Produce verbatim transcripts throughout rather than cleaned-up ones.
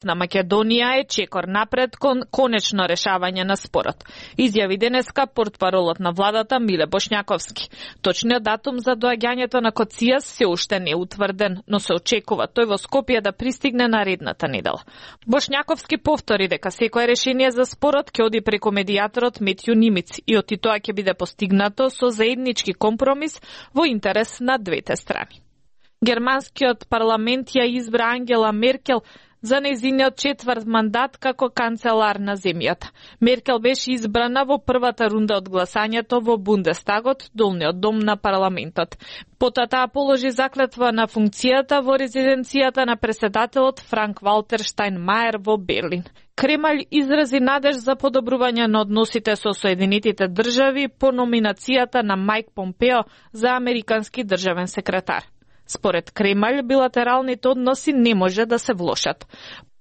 на Македонија е чекор напред кон конечно решавање на спорот. Изјави денеска портпаролот на владата Миле Бошњаковски. Точниот датум за доаѓањето на Коцијас се уште не е утврден, но се очекува тој во Скопје да пристигне наредната недела. Бошњаковски повтори дека секое решение за спорот ќе оди преку медијаторот Метју Нимиц и оти тоа ќе биде постигнато со заеднички компромис во интерес на двете страни. Германскиот парламент ја избра Ангела Меркел за нејзиниот четврт мандат како канцелар на земјата. Меркел беше избрана во првата рунда од гласањето во Бундестагот, долниот дом на парламентот. Потоа таа положи заклетва на функцијата во резиденцијата на претседателот Франк Валтер Штајнмајер во Берлин. Кремљ изрази надеж за подобрување на односите со Соединетите држави по номинацијата на Мајк Помпео за американски државен секретар. Според Кремљ, билатералните односи не може да се влошат.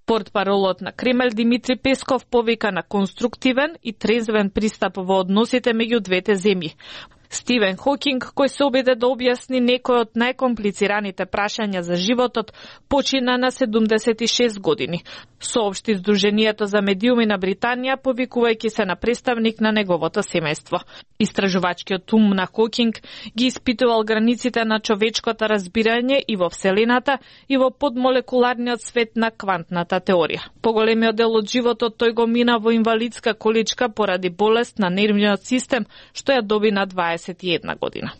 Портпаролот на Кремљ Димитри Песков повика на конструктивен и трезвен пристап во односите меѓу двете земји. Стивен Хокинг, кој се обиде да објасни некој од најкомплицираните прашања за животот, почина на седумдесет и шест години. Соопшти Сдруженијето за медиуми на Британија, повикувајќи се на представник на неговото семејство. Истражувачкиот ум на Хокинг ги испитувал границите на човечкото разбирање и во Вселената, и во подмолекуларниот свет на квантната теорија. Поголемиот дел од животот тој го мина во инвалидска количка поради болест на нервниот систем, што ја доби на дваесет и една година.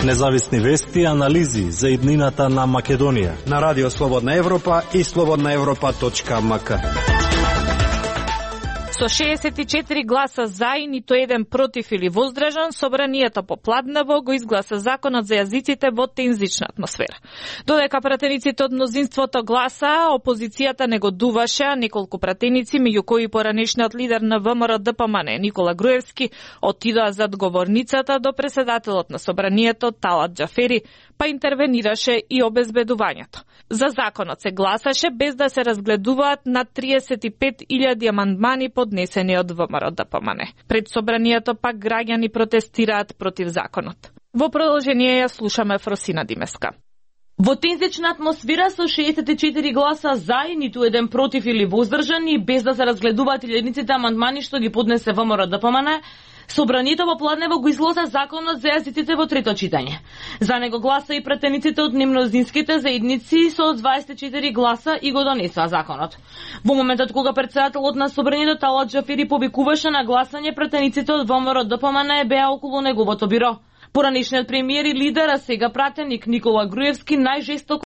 Независни вести и анализи за иднината на Македонија на Радио Слободна Европа и слободна европа точка ем ка. Со шеесет и четири гласа за и ниту еден против или воздржан, собранието попладнево го изгласа законот за јазиците во тензична атмосфера. Додека пратениците од мнозинството гласа, опозицијата негодуваше, а неколку пратеници, меѓу кои поранешниот лидер на ВМРО Д П М Н Никола Груевски, отидоа зад говорницата до претседателот на собранието Талат Џафери, па интервенираше и обезбедувањето. За законот се гласаше без да се разгледуваат над триесет и пет илјади амандмани поднесени од ВМРО Д П М Н. Пред собранието пак граѓани протестираат против законот. Во продолжение ја слушаме Фросина Димеска. Во тензична атмосфера со шеесет и четири гласа за и ниту еден против или воздржан и без да се разгледуваат илјадниците амандмани што ги поднесе ВМРО Д П М Н, собранието попладнево го изгласа законот за јазиците во трето читање. За него гласа и пратениците од немнозинските заедници со дваесет и четири гласа и го донесоа законот. Во моментот кога претседателот на собранието Талат Џафери повикуваше на гласање, пратениците од ВМРО Д П М Н беа околу неговото биро. Поранешниот премиер и лидер, а сега пратеник Никола Груевски најжестоко